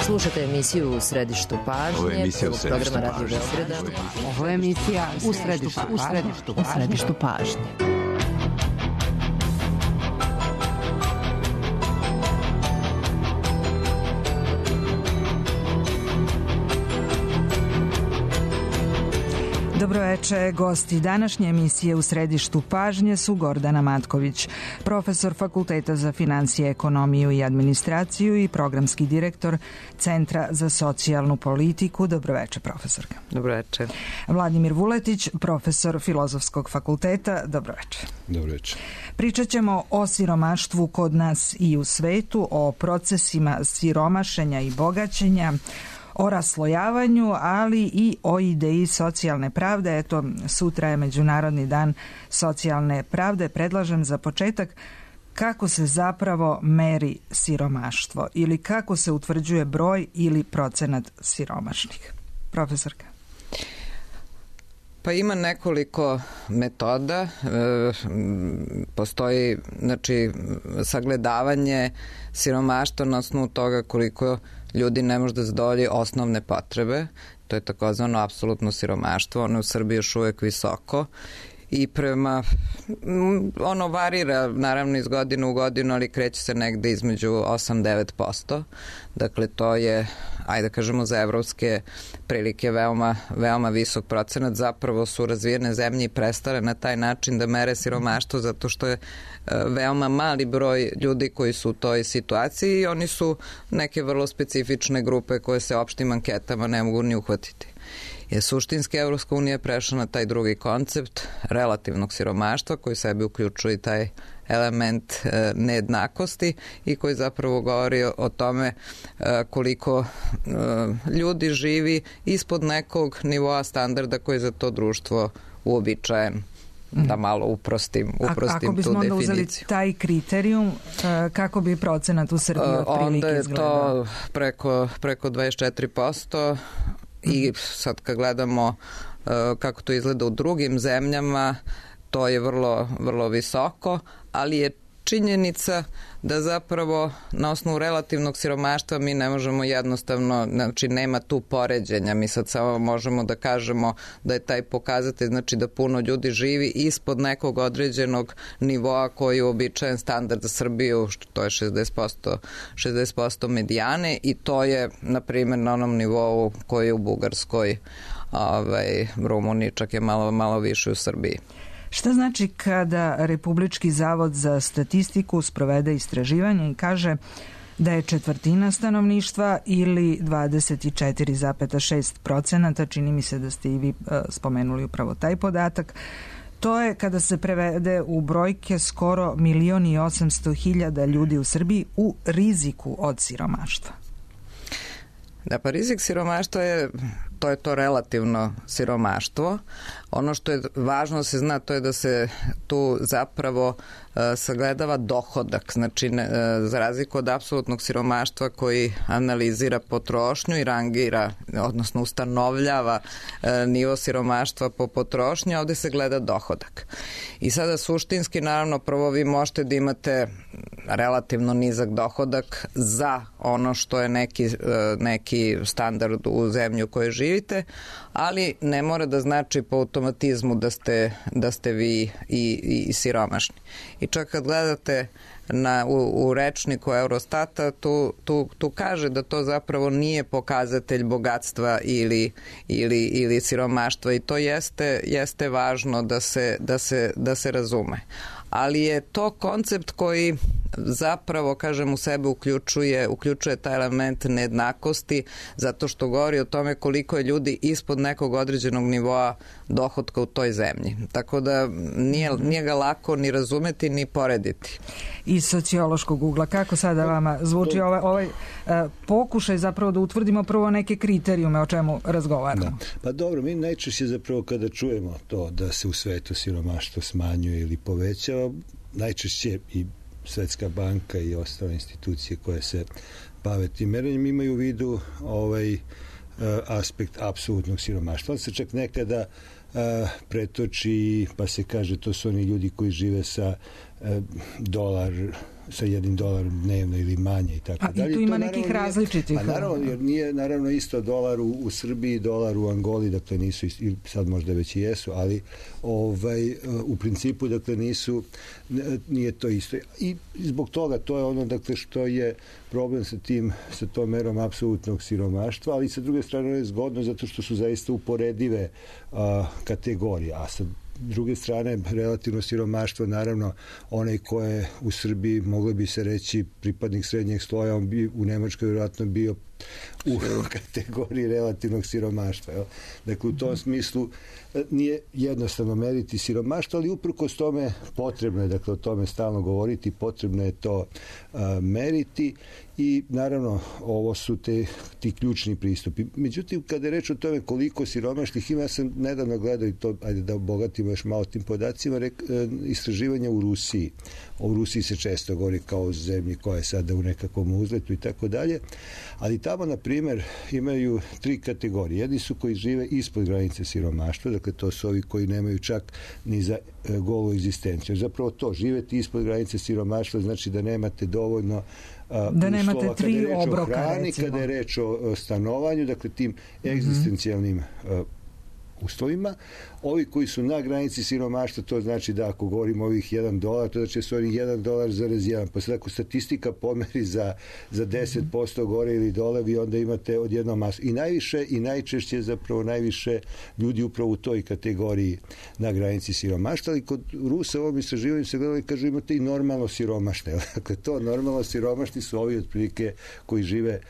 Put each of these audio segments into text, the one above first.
Slušate emisiju U središtu pažnje, prvog programa Radio Beograda. Ovo je emisija U središtu pažnje. Dobroveče, gosti današnje emisije U središtu pažnje su Gordana Matković, profesor Fakulteta za finansije, ekonomiju i administraciju i programski direktor Centra za socijalnu politiku. Dobroveče, profesorka. Dobroveče. Vladimir Vuletić, profesor Filozofskog fakulteta. Dobroveče. Dobroveče. Pričat ćemo o siromaštvu kod nas i u svetu, o procesima siromašenja i bogaćenja, o raslojavanju, ali i o ideji socijalne pravde. Eto, sutra je Međunarodni dan socijalne pravde. Predlažem za početak kako se zapravo meri siromaštvo ili kako se utvrđuje broj ili procenat siromašnih. Profesorka. Pa ima nekoliko metoda. Postoji, sagledavanje siromaštva na osnovu toga koliko ljudi ne može da zadovolji osnovne potrebe. To je takozvano apsolutno siromaštvo. Ono u Srbiji još uvek visoko i ono varira naravno iz godine u godinu, ali kreće se negde između 8-9%. Dakle, to je, ajde kažemo, za evropske prilike veoma visok procenat. Zapravo su razvijene zemlje i prestale na taj način da mere siromaštvo zato što je veoma mali broj ljudi koji su u toj situaciji i oni su neke vrlo specifične grupe koje se opštim anketama ne mogu ni uhvatiti. Suštinski Evropska unija je prešla na taj drugi koncept relativnog siromaštva koji sebi uključuje taj element nejednakosti i koji zapravo govori o tome koliko ljudi živi ispod nekog nivoa standarda koji je za to društvo uobičajen. Da malo uprostim tu definiciju. Ako bismo onda uzeli taj kriterijum, kako bi procenat u Srbiji otprilike izgledao? Onda je to preko 24%. I sad kad gledamo kako to izgleda u drugim zemljama, to je vrlo, vrlo visoko, ali je činjenica da zapravo na osnovu relativnog siromaštva mi ne možemo jednostavno, znači nema tu poređenja, mi sad samo možemo da kažemo da je taj pokazatelj, znači da puno ljudi živi ispod nekog određenog nivoa koji je uobičajen standard za Srbiju, to je 60% medijane i to je, na primjer, na onom nivou koji je u Bugarskoj, Rumuniji, čak je malo više u Srbiji. Šta znači kada Republički zavod za statistiku sprovede istraživanje i kaže da je četvrtina stanovništva ili 24,6%, čini mi se da ste i vi spomenuli upravo taj podatak, to je kada se prevede u brojke skoro 1.800.000 ljudi u Srbiji u riziku od siromaštva. Da, pa rizik siromaštva je to relativno siromaštvo. Ono što je važno da se zna, to je da se tu zapravo sagledava dohodak, znači za razliku od apsolutnog siromaštva koji analizira potrošnju i rangira, odnosno ustanovljava nivo siromaštva po potrošnji, ovde se gleda dohodak. I sada suštinski, naravno, prvo vi možete da imate relativno nizak dohodak za ono što je neki standard u zemlji u kojoj živite, ali ne mora da znači po automatizmu da ste vi i siromašni. I čak kad gledate u rečniku Eurostata, tu kaže da to zapravo nije pokazatelj bogatstva ili siromaštva i to jeste važno da se razume. Ali je to koncept koji zapravo, kažem, u sebe uključuje taj element nejednakosti zato što govori o tome koliko je ljudi ispod nekog određenog nivoa dohotka u toj zemlji. Tako da nije ga lako ni razumeti ni porediti. Iz sociološkog ugla, kako sada vama zvuči ovaj pokušaj zapravo da utvrdimo prvo neke kriterijume o čemu razgovaramo? Da. Pa dobro, mi najčešće zapravo kada čujemo to da se u svetu siromaštvo smanjuje ili povećava, najčešće i Svetska banka i ostale institucije koje se bave tim merenjem imaju u vidu aspekt apsolutnog siromaštva. On se čak nekada pretoči pa se kaže to su oni ljudi koji žive sa $1 sa $1 dnevno ili manje i tako dalje. I tu ima nekih različitih. Naravno, jer nije naravno isto dolar u Srbiji, dolar u Angoli, dakle nisu, sad možda već i jesu, ali u principu, dakle nije to isto. I zbog toga to je ono, dakle, što je problem sa tom merom apsolutnog siromaštva, ali sa druge strane je zgodno zato što su zaista uporedive kategorije, a sa druge strane, relativno siromaštvo, naravno, onaj ko je u Srbiji, moglo bi se reći, pripadnik srednjeg sloja, on bi u Nemačkoj vjerojatno bio u kategoriji relativnog siromaštva. Jel? Dakle, u tom smislu nije jednostavno meriti siromaštvo, ali uprkos tome potrebno je, dakle, o tome stalno govoriti, potrebno je to meriti i naravno ovo su ti ključni pristupi. Međutim, kada je reč o tome koliko siromašnih ima, ja sam nedavno gledao i to, ajde da obogatimo još malo tim podacima, istraživanja u Rusiji. O Rusiji se često govori kao o zemlji koja je sada u nekakvom uzletu i tako dalje, ali tamo, na primjer, imaju 3 kategorije. Jedni su koji žive ispod granice siromaštva, dakle to su ovi koji nemaju čak ni za golu egzistenciju. Zapravo to, živeti ispod granice siromaštva znači da nemate dovoljno da nemate 3 obroka, hrani, kada je reč o stanovanju, dakle tim egzistencijalnim uslovima. Ovi koji su na granici siromaštva, to znači da ako govorimo o ovih $1, to znači su oni $1,1. Pa sad ako statistika pomeri za 10% gore ili dole, vi onda imate odjednom masu. I najviše i najčešće zapravo najviše ljudi upravo u toj kategoriji na granici siromaštva, ali kod Rusa u ovom istraživanju se gledali, kažu, imate i normalno siromašne. Dakle, to normalno siromašni su ovi otprilike koji žive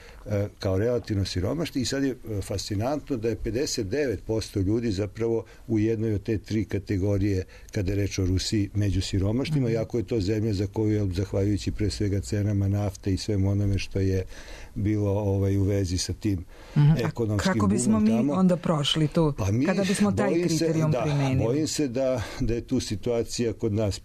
kao relativno siromašni i sad je fascinantno da je 59% ljudi zapravo u jednoj od te 3 kategorije kada je reč o Rusiji među siromašnima, iako je to zemlja za koju je, zahvaljujući pre svega cenama nafte i svemu onome što je bilo u vezi sa tim ekonomskim kako bismo mi tamo onda prošli tu, kada bismo taj kriterijum primenili? Bojim se da je tu situacija kod nas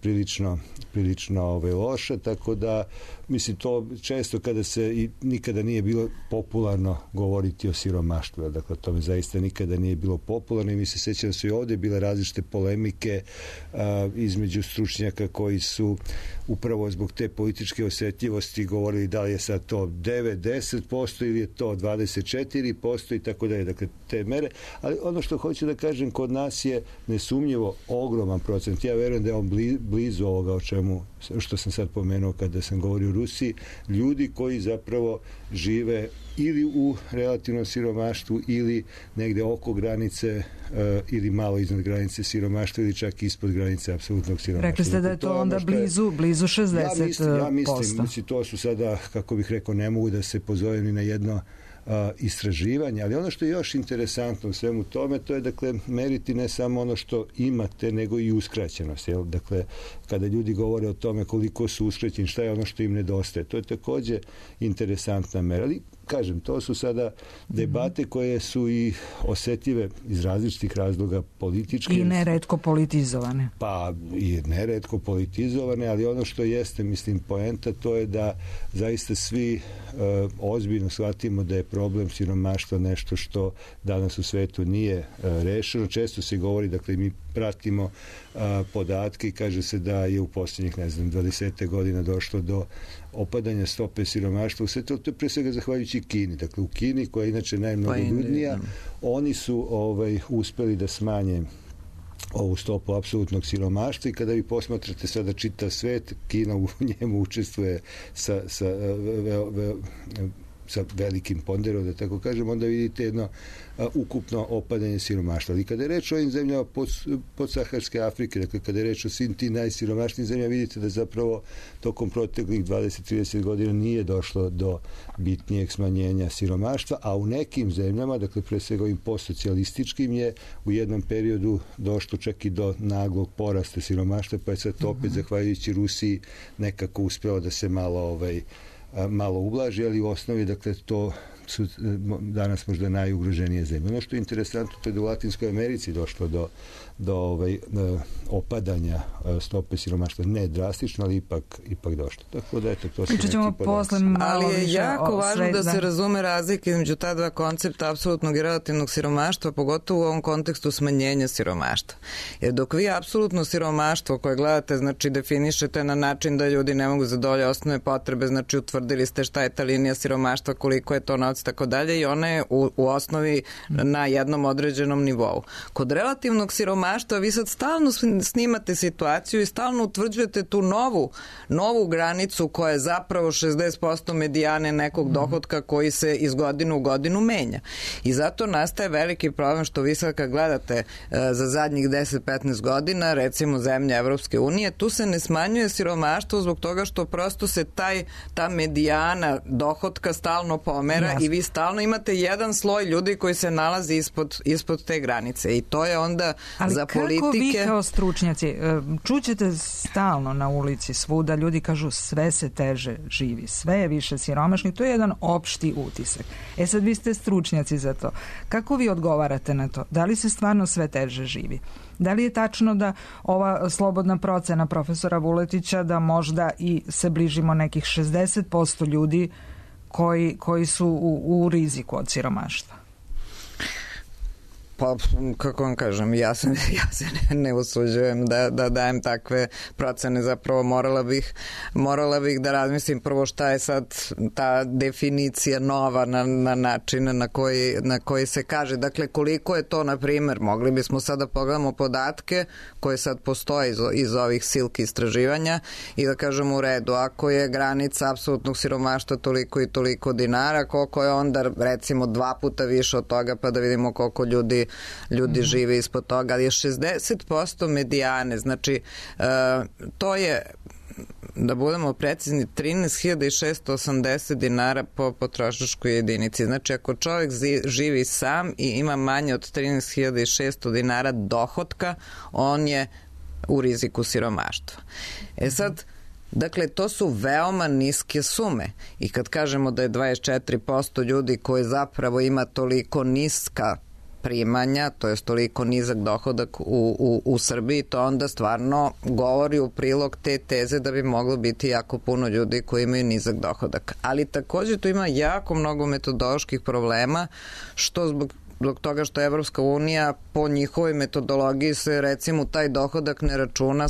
prilično loša, tako da mislim to često kada se i nikada nije bilo popularno govoriti o siromaštvu, dakle to mi zaista nikada nije bilo popularno i mi se sećam da su i ovdje bile različite polemike između stručnjaka koji su upravo zbog te političke osjetljivosti govorili da li je sad to 9-10% ili je to 24% i tako dalje, dakle te mere, ali ono što hoću da kažem, kod nas je nesumnjivo ogroman procent, ja verujem da je on blizu ovoga o čemu, što sam sad pomenuo kada sam govorio o Rusiji, ljudi koji zapravo žive ili u relativnom siromaštvu ili negde oko granice ili malo iznad granice siromaštva ili čak ispod granice apsolutnog siromaštva. Rekli ste da je to onda blizu 60%. Ja mislim, to su sada, kako bih rekao, ne mogu da se pozovem ni na jedno istraživanje, ali ono što je još interesantno u svemu tome, to je, dakle, meriti ne samo ono što imate, nego i uskraćenost. Jel? Dakle, kada ljudi govore o tome koliko su uskraćeni, šta je ono što im nedostaje, to je takođe interesantna mera. Ali, kažem, to su sada debate koje su i osetljive iz različitih razloga politički. I neretko politizovane. Pa, i neretko politizovane, ali ono što jeste, mislim, poenta, to je da zaista svi ozbiljno shvatimo da je problem siromaštva nešto što danas u svetu nije rešeno. Često se govori, dakle, mi pratimo podatke i kaže se da je u posljednjih, 20 godina došlo do opadanja stope siromaštva u svetu, to je pre svega zahvaljujući Kini. Dakle, u Kini, koja je inače najmnogoljudnija, oni su uspeli da smanje ovu stopu apsolutnog siromaštva i kada vi posmatrate sada čitav svet, Kina u njemu učestvuje sa velikim ponderom, da tako kažem, onda vidite jedno ukupno opadanje siromaštva. Ali kada je reč o ovim zemljama podsaharske Afrike, dakle kada je reč o svim tim najsiromašnijim zemljama, vidite da zapravo tokom proteklih 20-30 godina nije došlo do bitnijeg smanjenja siromaštva, a u nekim zemljama, dakle pre svega ovim postsocijalističkim, je u jednom periodu došlo čak i do naglog porasta siromaštva, pa je sad to opet zahvaljujući Rusiji nekako uspelo da se malo ublaži, ali u osnovi, dakle, to su danas možda najugroženije zemlje. Ono što je interesantno, to je da u Latinskoj Americi došlo do opadanja stope siromaštva. Ne drastično, ali ipak došlo. Tako da, eto, to su neki podaci. Ali je jako važno da se razume razlike između ta dva koncepta apsolutnog i relativnog siromaštva, pogotovo u ovom kontekstu smanjenja siromaštva. Jer dok vi apsolutno siromaštvo koje gledate, znači definišete na način da ljudi ne mogu zadovoljiti osnovne potrebe, znači utvrdili ste šta je ta linija siromaštva, koliko je to novac, tako dalje, i ona je u osnovi na jednom određenom nivou. Kod relativnog siromaštva vi sad stalno snimate situaciju i stalno utvrđujete tu novu granicu koja je zapravo 60% medijane nekog dohotka koji se iz godine u godinu menja. I zato nastaje veliki problem što vi sad kad gledate za zadnjih 10-15 godina, recimo zemlje Evropske unije, tu se ne smanjuje siromaštvo zbog toga što prosto se ta medijana dohotka stalno pomera i vi stalno imate jedan sloj ljudi koji se nalazi ispod te granice. I to je onda za politike... Ali kako vi kao stručnjaci, čućete stalno na ulici svuda, ljudi kažu sve se teže živi, sve je više siromašni, to je jedan opšti utisak. Sad vi ste stručnjaci za to. Kako vi odgovarate na to? Da li se stvarno sve teže živi? Da li je tačno da ova slobodna procena profesora Vuletića da možda i se bližimo nekih 60% ljudi koji su u riziku od siromaštva? Pa, kako vam kažem, ja se ne usuđujem da dajem takve procene, zapravo morala bih da razmislim prvo šta je sad ta definicija nova na način na koji se kaže. Dakle, koliko je to, na primjer, mogli bismo sad da pogledamo podatke koje sad postoje iz ovih silki istraživanja i da kažemo u redu, ako je granica apsolutnog siromaštva toliko i toliko dinara, koliko je onda recimo 2 puta više od toga, pa da vidimo koliko ljudi žive ispod toga, ali je 60% medijane, znači to je, da budemo precizni, 13.680 dinara po potrošačkoj jedinici. Znači, ako čovjek živi sam i ima manje od 13.600 dinara dohotka, on je u riziku siromaštva. Sad, dakle, to su veoma niske sume i kad kažemo da je 24% ljudi koji zapravo ima toliko niska primanja, to je toliko nizak dohodak u Srbiji, to onda stvarno govori u prilog te teze da bi moglo biti jako puno ljudi koji imaju nizak dohodak. Ali također tu ima jako mnogo metodoloških problema, što zbog toga što Evropska unija po njihovoj metodologiji se recimo taj dohodak ne računa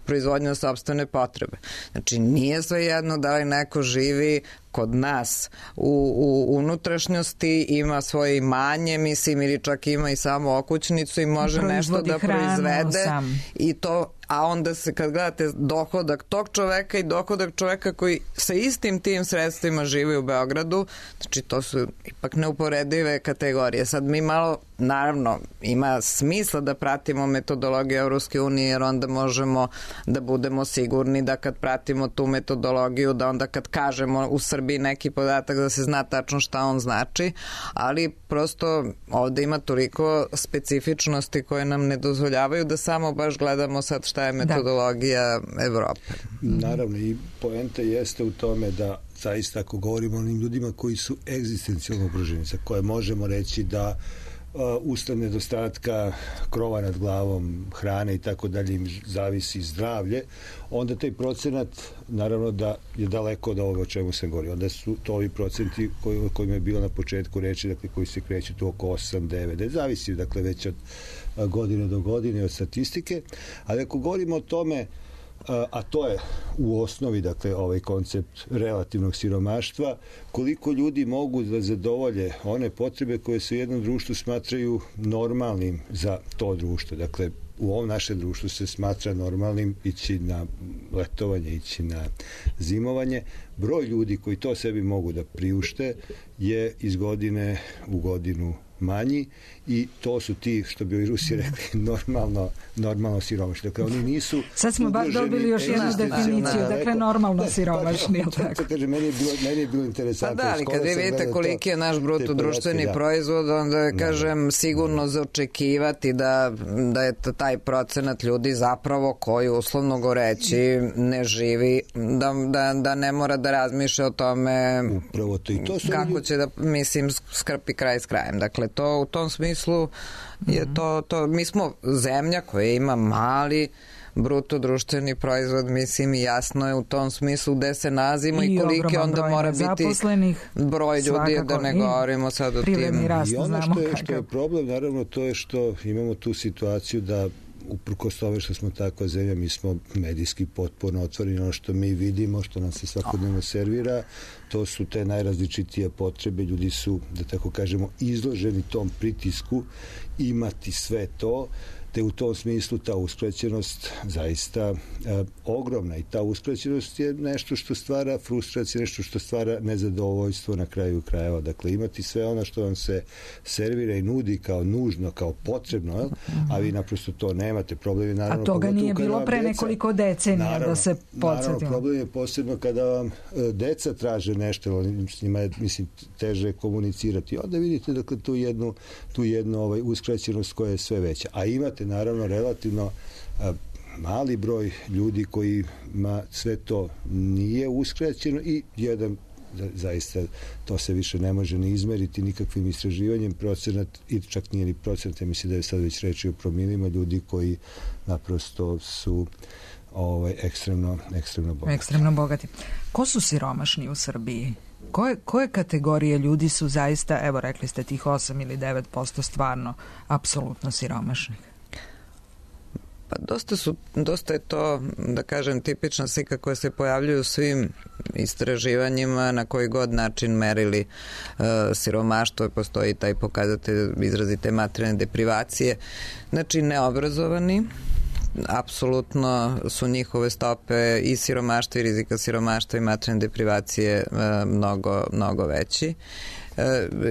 proizvodnja sopstvene potrebe. Znači nije svejedno da li neko živi kod nas u unutrašnjosti, ima svoje imanje, mislim, ili čak ima i samo okućnicu i može nešto da proizvede i to, a onda se kad gledate dohodak tog čoveka i dohodak čoveka koji sa istim tim sredstvima živi u Beogradu, znači to su ipak neuporedive kategorije. Sad mi malo, naravno, ima smisla da pratimo metodologiju Evropske unije, jer onda možemo da budemo sigurni da kad pratimo tu metodologiju, da onda kad kažemo u Srbiji neki podatak da se zna tačno šta on znači, ali prosto ovde ima toliko specifičnosti koje nam ne dozvoljavaju da samo baš gledamo sad šta je metodologija Evrope. Naravno, i poenta jeste u tome da zaista ako govorimo o onim ljudima koji su egzistencijalno ugroženi, za koje možemo reći da usled nedostatka krova nad glavom, hrane i tako dalje im zavisi zdravlje, onda taj procenat naravno da je daleko od ovoga o čemu sam govorio. Onda su to ovi procenti o kojima je bilo na početku reči, dakle koji se kreću tu oko 8-9, zavisi dakle već od godine do godine od statistike, ali ako govorimo o tome, a to je u osnovi, dakle, ovaj koncept relativnog siromaštva, koliko ljudi mogu da zadovolje one potrebe koje se u jednom društvu smatraju normalnim za to društvo. Dakle, u ovom našem društvu se smatra normalnim ići na letovanje, ići na zimovanje. Broj ljudi koji to sebi mogu da priušte je iz godine u godinu manji i to su ti, što bi ovi Rusi rekli, normalno siromašni. Dakle, oni nisu sad smo dobili još jednu definiciju, dakle normalno siromašni. Meni je bilo interesantno. Pa da, ali kad vi vidite koliki je naš bruto društveni proizvod, onda je, kažem, sigurno za očekivati da je taj procenat ljudi zapravo koji, uslovno goreći, ne živi, da ne mora da razmišlja o tome kako će da, mislim, skrpi kraj s krajem. Dakle, to u tom smislu je to, mi smo zemlja koja ima mali bruto društveni proizvod, mislim, i jasno je u tom smislu gde se nalazimo i koliki onda mora biti broj ljudi, da ne govorimo sad o tim. I ono što je problem, naravno, to je što imamo tu situaciju da uprkos tome što smo takva zemlja, mi smo medijski potpuno otvoreni. Ono što mi vidimo, što nam se svakodnevno servira, to su te najrazličitije potrebe. Ljudi su, da tako kažemo, izloženi tom pritisku imati sve to, te u tom smislu ta uskraćenost zaista ogromna i ta uskraćenost je nešto što stvara frustraciju, nešto što stvara nezadovoljstvo na kraju krajeva. Dakle, imati sve ono što vam se servira i nudi kao nužno, kao potrebno, a vi naprosto to nemate. Problem je, naravno, a toga nije bilo pre nekoliko decenija, da se podsjetimo. Naravno, problem je posebno kada vam deca traže nešto, s njima je, mislim, teže komunicirati. Onda vidite, dakle, tu jednu uskraćenost koja je sve veća. A imate, naravno, relativno mali broj ljudi kojima sve to nije uskraćeno i jedan, zaista, to se više ne može ni izmeriti nikakvim istraživanjem, procenat, i čak nije ni procenat, mislim da je sad već reči o promilima, ljudi koji naprosto su ekstremno bogati. Ekstremno bogati. Ko su siromašni u Srbiji? Koje kategorije ljudi su zaista, evo rekli ste tih 8 ili 9% stvarno apsolutno siromašnih? Pa dosta je to, da kažem, tipična slika koja se pojavljuje u svim istraživanjima, na koji god način merili siromaštvo, postoji taj pokazatelj izrazite materijalne deprivacije. Znači, neobrazovani, apsolutno su njihove stope i siromaštva i rizika siromaštva i materijalne deprivacije mnogo veći.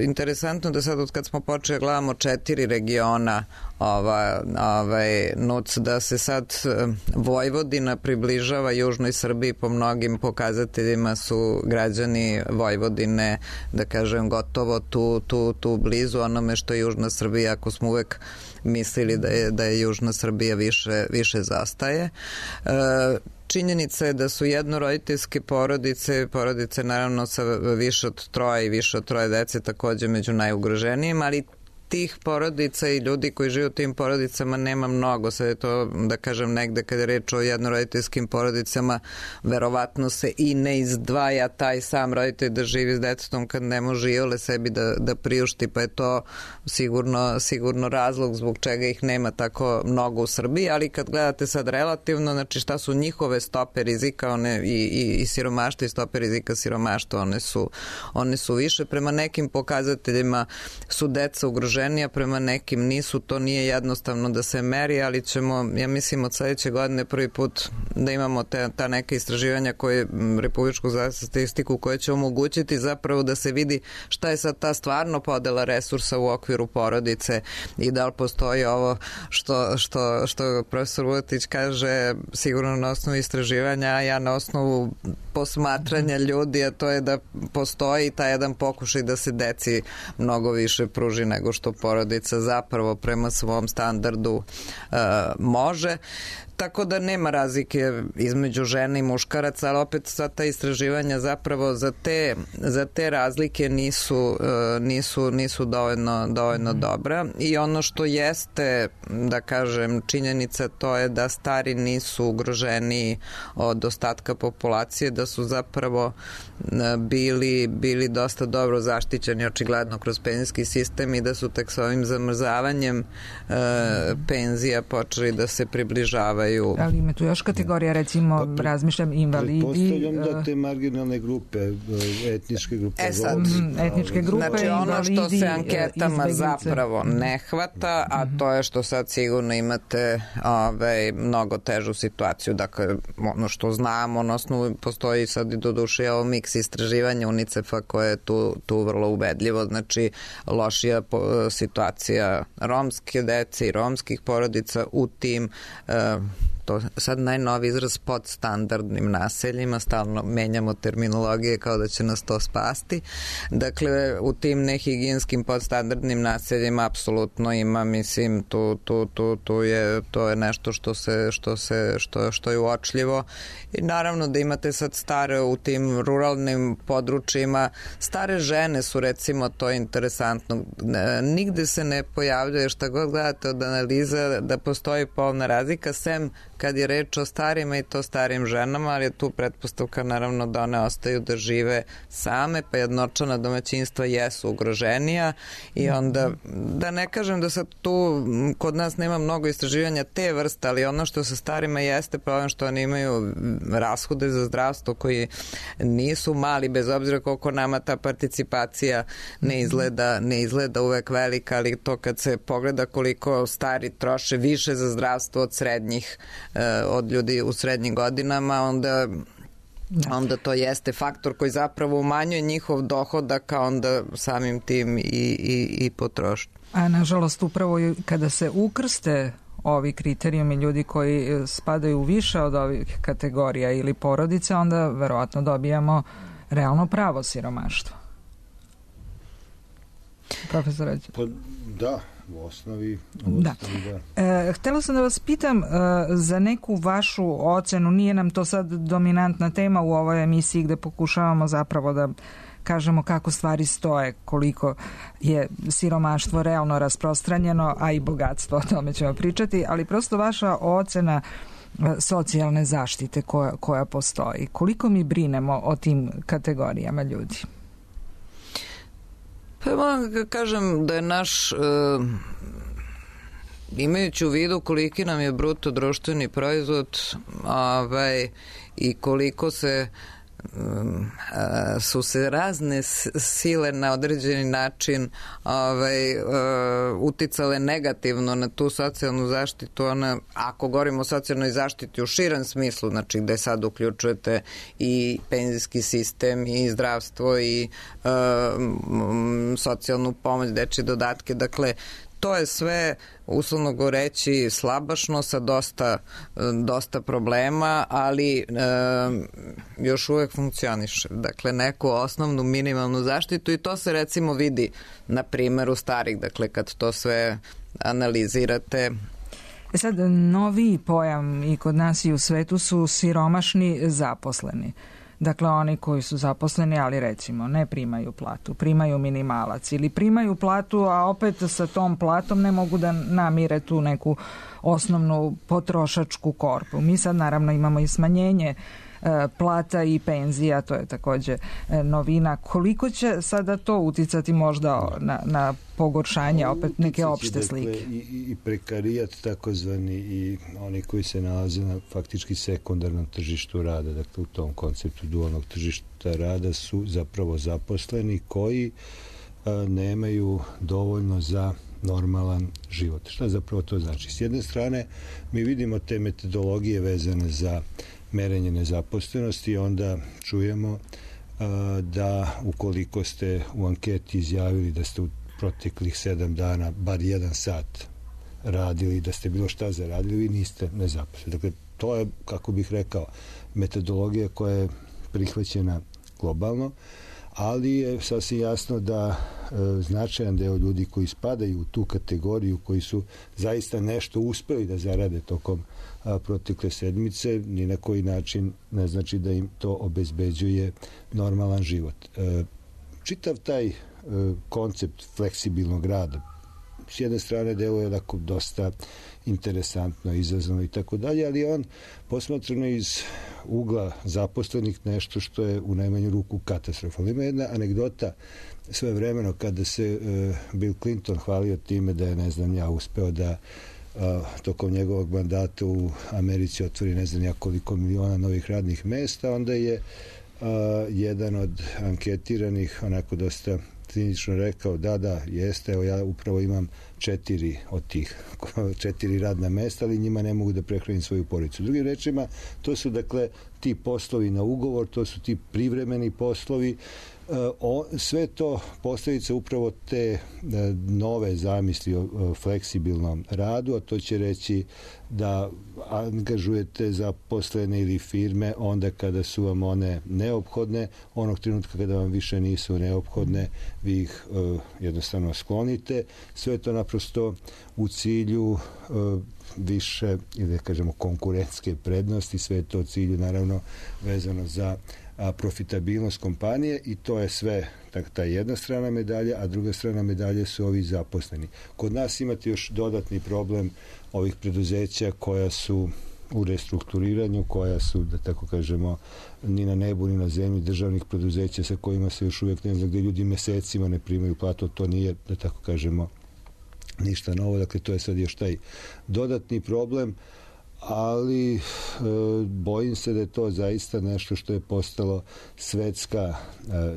Interesantno da sad od kad smo počeli gledamo 4 regiona NUC, da se sad Vojvodina približava južnoj Srbiji, po mnogim pokazateljima su građani Vojvodine, da kažem, gotovo tu blizu onome što je južna Srbija, ako smo uvek mislili da je južna Srbija više zastaje. Činjenica je da su jednoroditeljske porodice naravno sa više od 3 i više od 3 dece takođe među najugroženijim, ali tih porodica i ljudi koji žive u tim porodicama nema mnogo. Sad je to, da kažem, negde kada je reč o jednoroditeljskim porodicama, verovatno se i ne izdvaja taj sam roditelj da živi s detetom kad ne može iole sebi da priušti, pa je to sigurno razlog zbog čega ih nema tako mnogo u Srbiji, ali kad gledate sad relativno, znači šta su njihove stope rizika, one i siromaštva i stope rizika siromaštva, one su više. Prema nekim pokazateljima su deca ugroženija, prema nekim nisu, to nije jednostavno da se meri, ali ćemo, ja mislim, od sledeće godine prvi put da imamo ta neka istraživanja koje Republičku za statistiku koje će omogućiti zapravo da se vidi šta je sad ta stvarno podela resursa u okviru porodice i da li postoji ovo što profesor Vuletić kaže, sigurno na osnovu istraživanja, a ja na osnovu posmatranja ljudi, a to je da postoji taj jedan pokušaj da se deci mnogo više pruži nego što porodica zapravo prema svom standardu može. Tako da nema razlike između žena i muškaraca, ali opet sva ta istraživanja zapravo za te razlike nisu dovoljno dobra. I ono što jeste, da kažem, činjenica, to je da stari nisu ugroženi od ostatka populacije, da su zapravo bili dosta dobro zaštićeni očigledno kroz penzijski sistem i da su tek s ovim zamrzavanjem penzija počeli da se približavaju završavaju. Ali ima tu još kategorija, recimo, razmišljam, invalidi. Pretpostavljam da te marginalne grupe, etničke grupe. Etničke grupe, znači, invalidi, ono što se anketama izbeglice zapravo ne hvata, a to je što sad sigurno imate mnogo težu situaciju. Dakle, ono što znamo, na osnovu postoji sad i doduše ovo miks istraživanja UNICEF-a koje je tu vrlo ubedljivo. Znači, lošija situacija romske dece i romskih porodica u tim to sad najnovi izraz podstandardnim naseljima, stalno menjamo terminologije kao da će nas to spasti. Dakle, u tim nehigijinskim podstandardnim naseljima apsolutno ima, mislim, to je nešto što je uočljivo i naravno da imate sad stare u tim ruralnim područjima, stare žene su recimo, to je interesantno, nigde se ne pojavljuje, šta god gledate od analiza, da postoji polna razlika, sem kad je reč o starima i to starim ženama, ali je tu pretpostavka naravno da one ostaju da žive same, pa jednočlana domaćinstva jesu ugroženija i onda, da ne kažem da sad tu kod nas nema mnogo istraživanja te vrste, ali ono što sa starima jeste problem što oni imaju rashode za zdravstvo koji nisu mali, bez obzira koliko nama ta participacija ne izgleda uvek velika, ali to kad se pogleda koliko stari troše više za zdravstvo od srednjih, od ljudi u srednjim godinama, onda to jeste faktor koji zapravo umanjuje njihov dohodak, a onda samim tim i potrošnju. A nažalost upravo kada se ukrste ovi kriterijumi ljudi koji spadaju više od ovih kategorija ili porodice, onda verovatno dobijamo realno pravo siromaštvo. Profesor, da, u osnovi da. Htela sam da vas pitam za neku vašu ocenu, nije nam to sad dominantna tema u ovoj emisiji gde pokušavamo zapravo da kažemo kako stvari stoje, koliko je siromaštvo realno rasprostranjeno, a i bogatstvo, o tome ćemo pričati, ali prosto vaša ocena socijalne zaštite koja postoji. Koliko mi brinemo o tim kategorijama ljudi? Pa moram da kažem da je naš, imajući u vidu koliki nam je bruto društveni proizvod i koliko su se razne sile na određeni način uticale negativno na tu socijalnu zaštitu. Ako govorimo o socijalnoj zaštiti u širem smislu, znači gde sad uključujete i penzijski sistem i zdravstvo i socijalnu pomoć, dečje dodatke, dakle to je sve, uslovno goreći, slabašno sa dosta problema, ali još uvek funkcioniše. Dakle, neku osnovnu minimalnu zaštitu i to se recimo vidi na primjeru starih, dakle kad to sve analizirate. Sad, novi pojam i kod nas i u svetu su siromašni zaposleni. Dakle, oni koji su zaposleni, ali recimo ne primaju platu, primaju minimalac ili primaju platu, a opet sa tom platom ne mogu da namire tu neku osnovnu potrošačku korpu. Mi sad naravno imamo i smanjenje plata i penzija, to je takođe novina. Koliko će sada to uticati možda na pogoršanje opet neke opšte slike? Dakle, i prekarijat takozvani i oni koji se nalaze na faktički sekundarnom tržištu rada, dakle u tom konceptu dualnog tržišta rada su zapravo zaposleni koji nemaju dovoljno za normalan život. Šta zapravo to znači? S jedne strane mi vidimo te metodologije vezane za merenje nezaposlenosti i onda čujemo da ukoliko ste u anketi izjavili da ste u proteklih 7 dana bar 1 sat radili, da ste bilo šta zaradili, vi niste nezaposleni. Dakle, to je, kako bih rekao, metodologija koja je prihvaćena globalno, ali je sasvim jasno da značajan deo ljudi koji spadaju u tu kategoriju, koji su zaista nešto uspeli da zarade tokom protekle sedmice, ni na koji način ne znači da im to obezbeđuje normalan život. Čitav taj koncept fleksibilnog rada s jedne strane deluje onako dosta interesantno, izazovno i tako dalje, ali on posmatrano iz ugla zaposlenih nešto što je u najmanju ruku katastrofalno. Ima jedna anegdota svojevremeno kada se Bill Clinton hvalio time da je, ne znam, uspeo da tokom njegovog mandata u Americi otvori ne znam ja koliko miliona novih radnih mesta, onda je jedan od anketiranih onako dosta cinično rekao da, jeste, evo ja upravo imam 4 od tih 4 radna mesta, ali njima ne mogu da prehranim svoju porodicu. Drugim rečima, to su dakle ti poslovi na ugovor, to su ti privremeni poslovi, sve to posljedica upravo te nove zamisli o fleksibilnom radu, a to će reći da angažujete zaposlene ili firme onda kada su vam one neophodne, onog trenutka kada vam više nisu neophodne, vi ih jednostavno sklonite. Sve to naprosto u cilju više, ili da kažemo, konkurentske prednosti, sve to u cilju naravno vezano za profitabilnost kompanije, i to je sve ta jedna strana medalje, a druga strana medalje su ovi zaposleni. Kod nas imate još dodatni problem ovih preduzeća koja su u restrukturiranju, koja su, da tako kažemo, ni na nebu ni na zemlji, državnih preduzeća sa kojima se još uvijek ne zna, gde ljudi mesecima ne primaju platu. To nije, da tako kažemo, ništa novo. Dakle, to je sad još taj dodatni problem, ali bojim se da je to zaista nešto što je postalo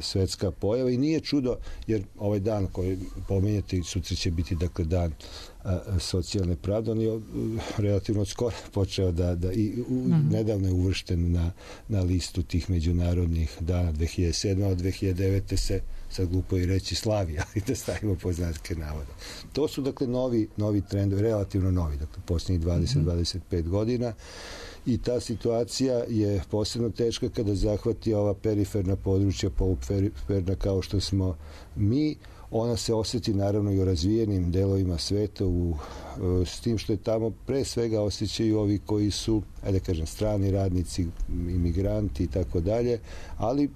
svetska pojava, i nije čudo, jer ovaj dan koji pomenjate, sutra će biti dakle dan socijalne pravde, on je relativno skoro počeo nedavno je uvršten na listu tih međunarodnih dana 2007. od 2009. se, sad glupo i reći, slavi, ali da stavimo pod znake navoda. To su dakle novi trendovi, relativno novi, dakle posljednjih 20-25 godina, i ta situacija je posebno teška kada zahvati ova periferna područja, poluperiferna kao što smo mi. Ona se osjeti naravno i u razvijenim delovima sveta, s tim što je tamo pre svega osjećaju ovi koji su, ajde kažem, strani radnici, imigranti i tako dalje, ali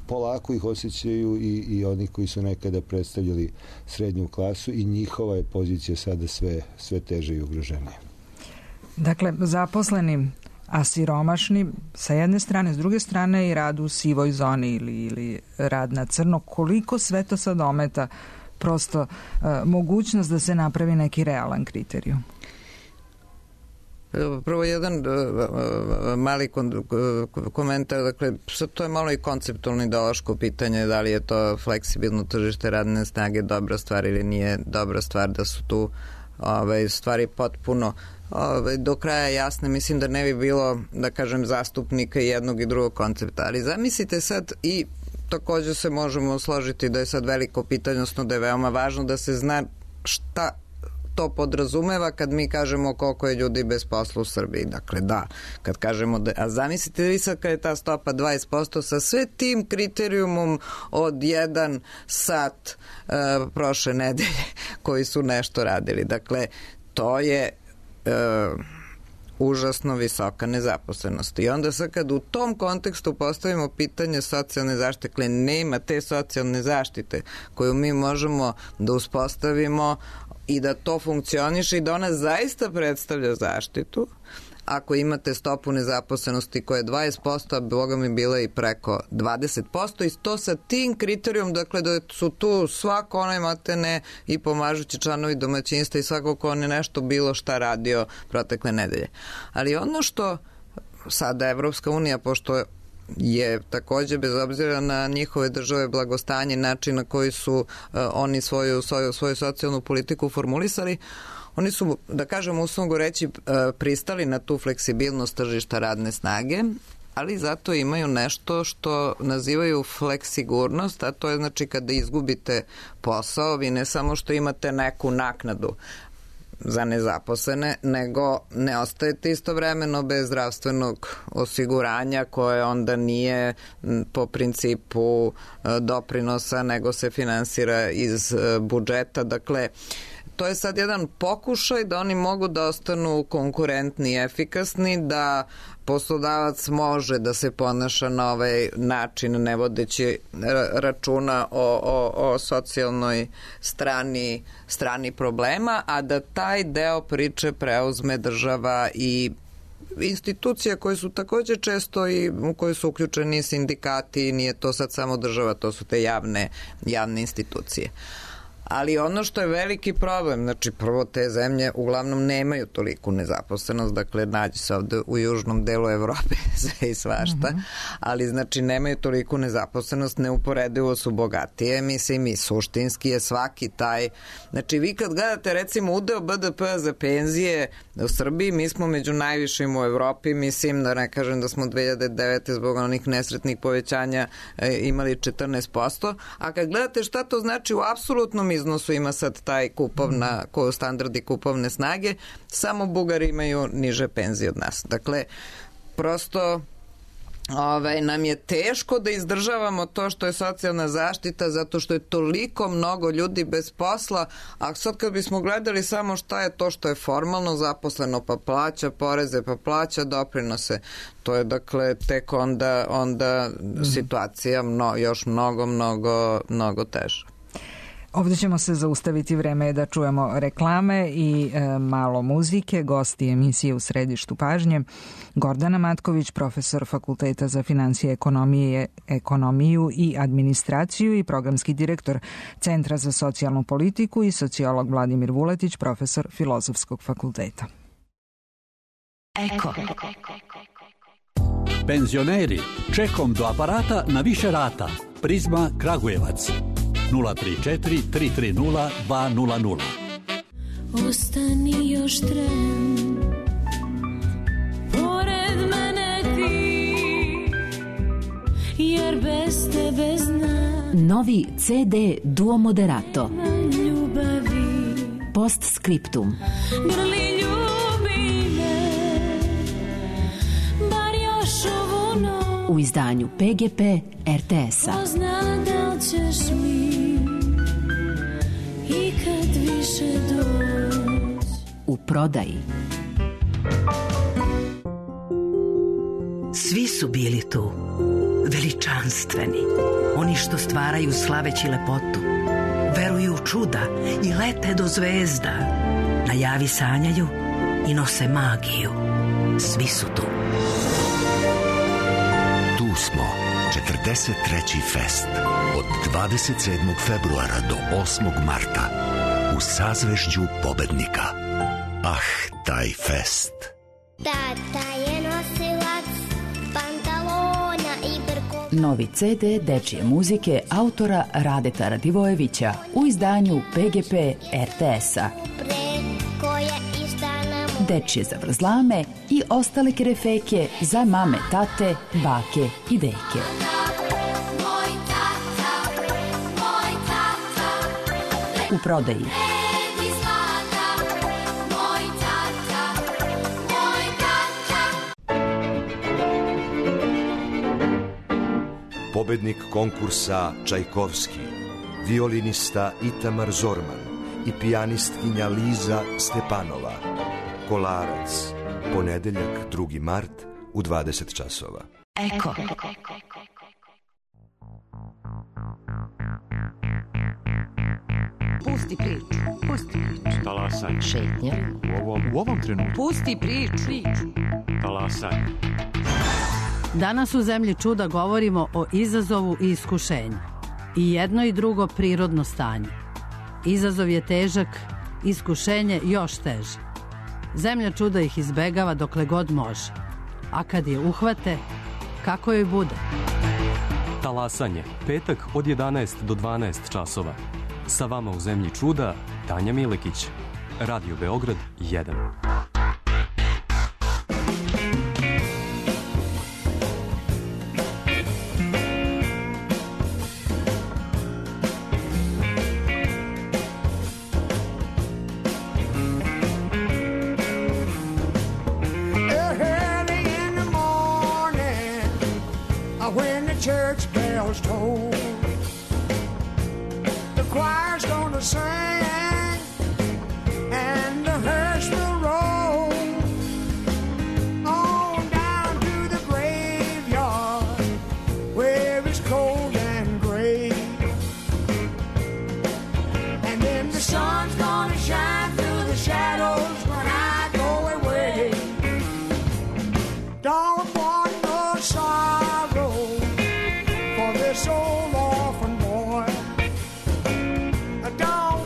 polako ih osjećaju i oni koji su nekada predstavljali srednju klasu, i njihova je pozicija sada sve teže i ugroženija. Dakle, zaposleni, a siromašni sa jedne strane, s druge strane i rad u sivoj zoni ili rad na crno. Koliko sve to sad ometa prosto mogućnost da se napravi neki realan kriterijum? Prvo jedan mali komentar, dakle, to je malo i konceptualno ideološko pitanje, da li je to fleksibilno tržište radne snage dobra stvar ili nije dobra stvar, da su tu stvari potpuno do kraja jasne. Mislim da ne bi bilo, da kažem, zastupnika jednog i drugog koncepta, ali zamislite sad, i također se možemo složiti da je sad veliko pitanje, odnosno da je veoma važno da se zna šta to podrazumeva kad mi kažemo koliko je ljudi bez posla u Srbiji. Dakle, da, kad kažemo a zamislite vi sad kad je ta stopa 20% sa sve tim kriterijumom od 1 sat prošle nedelje koji su nešto radili. Dakle, to je užasno visoka nezaposlenost. I onda sad kad u tom kontekstu postavimo pitanje socijalne zaštite, dakle nema te socijalne zaštite koju mi možemo da uspostavimo i da to funkcioniše i da ona zaista predstavlja zaštitu, ako imate stopu nezaposlenosti koja je 20%, a Boga mi bila i preko 20%, i to sa tim kriterijom, dakle da su tu svako onaj matene i pomažući članovi domaćinstva i svako ko on je nešto bilo šta radio protekle nedelje. Ali ono što sada Evropska unija, pošto je također, bez obzira na njihove države blagostanje, način na koji su oni svoju socijalnu politiku formulisali, oni su, da kažem, uslovno reći, pristali na tu fleksibilnost tržišta radne snage, ali zato imaju nešto što nazivaju fleksigurnost, a to je znači kada izgubite posao, vi ne samo što imate neku naknadu za nezaposlene, nego ne ostajete istovremeno bez zdravstvenog osiguranja koje onda nije po principu doprinosa, nego se finansira iz budžeta. Dakle, to je sad jedan pokušaj da oni mogu da ostanu konkurentni i efikasni, da poslodavac može da se ponaša na ovaj način ne vodeći računa o socijalnoj strani problema, a da taj deo priče preuzme država i institucije koje su također često i u koje su uključeni sindikati, nije to sad samo država, to su te javne institucije. Ali ono što je veliki problem, znači prvo te zemlje uglavnom nemaju toliku nezaposlenost, dakle nađe se ovde u južnom delu Evrope sve i svašta, ali znači nemaju toliku nezaposlenost, neuporedivo su bogatije, mislim i suštinski je svaki taj, znači vi kad gledate recimo udeo BDP-a za penzije u Srbiji, mi smo među najvišim u Evropi, mislim da ne kažem da smo 2009. zbog onih nesretnih povećanja imali 14%, a kad gledate šta to znači u apsolutnom iznosu, ima sad taj standardi kupovne snage, samo Bugari imaju niže penzije od nas. Dakle, prosto nam je teško da izdržavamo to što je socijalna zaštita zato što je toliko mnogo ljudi bez posla, a sad kad bismo gledali samo šta je to što je formalno zaposleno pa plaća poreze, pa plaća doprinose, to je dakle tek onda situacija još mnogo teža. Ovdje ćemo se zaustaviti, vreme je da čujemo reklame i malo muzike. Gosti emisije U središtu pažnje Gordana Matković, profesor Fakulteta za financije, ekonomiju i administraciju i programski direktor Centra za socijalnu politiku, i sociolog Vladimir Vuletić, profesor Filozofskog fakulteta. Eko. Penzioneri, čekom do aparata na više rata. Prizma Kragujevac. 034 330 200. Ostani još tren, pored mene ti, jer bez tebe znam. Novi CD Duo Moderato. Ljubavi. Postscriptum. Grli ljubi me, bar još ovu noć. U izdanju PGP RTS-a. Pozna da ćeš mi ikad više doći. U prodaji. Svi su bili tu, veličanstveni, oni što stvaraju slaveći lepotu, veruju u čuda i lete do zvezda, na javi sanjaju i nose magiju. Svi su tu. Tu smo, 43. fest, od 27. februara do 8. marta, u sazvežđu pobednika. Ah, taj fest! Tata je nosilac pantalona i brkova. Novi CD dečije muzike autora Radeta Radivojevića u izdanju PGP RTS-a. Dečije zavrzlame i ostale kerefeke za mame, tate, bake i deke. U prodaji. Pobednik konkursa Čajkovski, violinista Itamar Zorman i pijanistkinja Liza Stepanova. Kolarac, ponedeljak 2. mart u 20 časova. Eko. Pusti priču. Talasanje. Šetnja. U ovom trenutku. Pusti priču. Talasanje. Danas u Zemlji čuda govorimo o izazovu i iskušenju. I jedno i drugo prirodno stanje. Izazov je težak, iskušenje još teže. Zemlja čuda ih izbegava dokle god može. A kad je uhvate, kako joj bude? Talasanje. Petak od 11 do 12 časova. Sa vama u Zemlji čuda, Tanja Milekić. Radio Beograd 1. Church bells toll, the choir's gonna sing, and the hearse will roll on down to the graveyard where it's cold and gray, and then the sun's gonna shine through the shadows when I go away. Don't want no sorrow this old orphan boy. I don't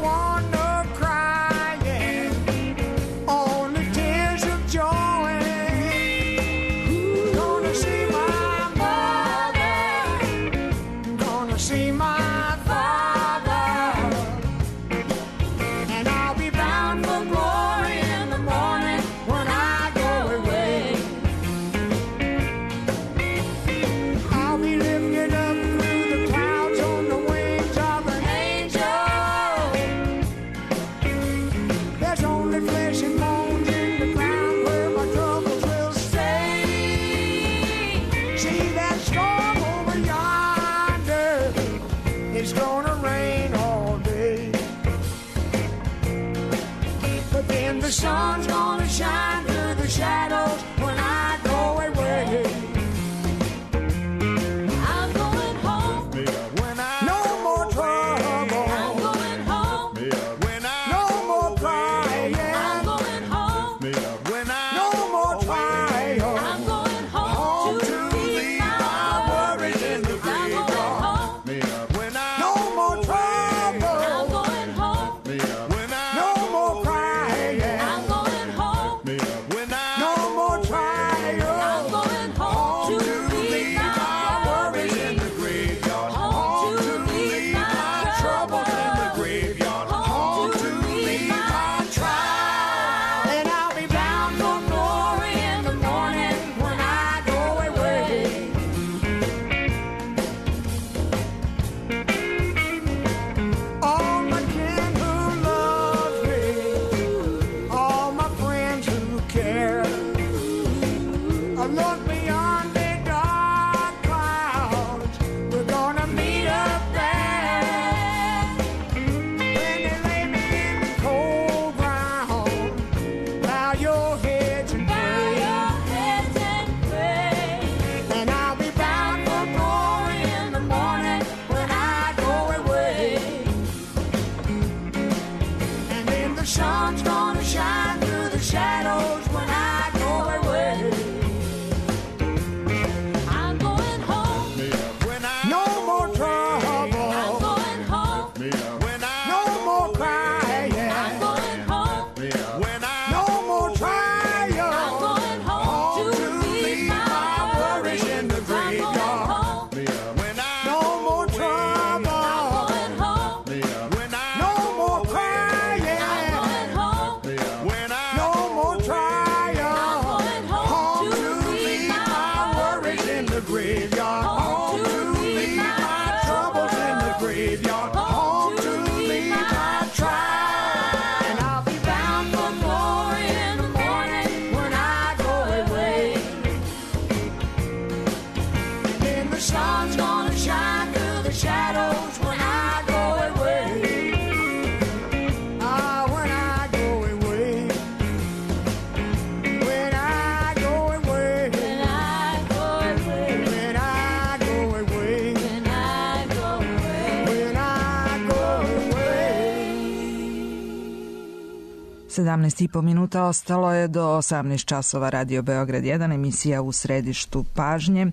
17,5 minuta ostalo je do 18 časova. Radio Beograd 1, emisija U središtu pažnje.